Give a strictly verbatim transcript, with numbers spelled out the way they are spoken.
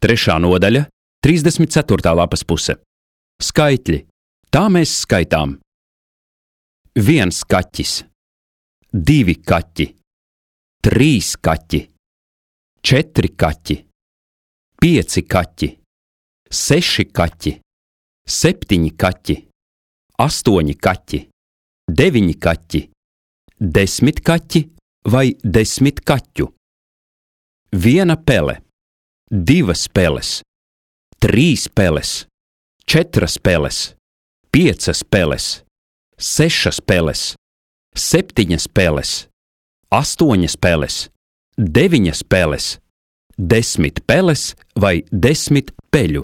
Trešā nodaļa, trīsdesmit ceturtā lapas puse. Skaitļi. Tā mēs skaitām. Viens kaķis, divi kaķi, trīs kaķi, četri kaķi, pieci kaķi, seši kaķi, septiņi kaķi, astoņi kaķi, deviņi kaķi, desmit kaķi vai desmit kaķu. Viena pele, divas peles, trīs peles, četras peles, piecas peles, sešas peles, septiņas peles, astoņas peles, deviņas peles, desmit peles vai desmit peļu.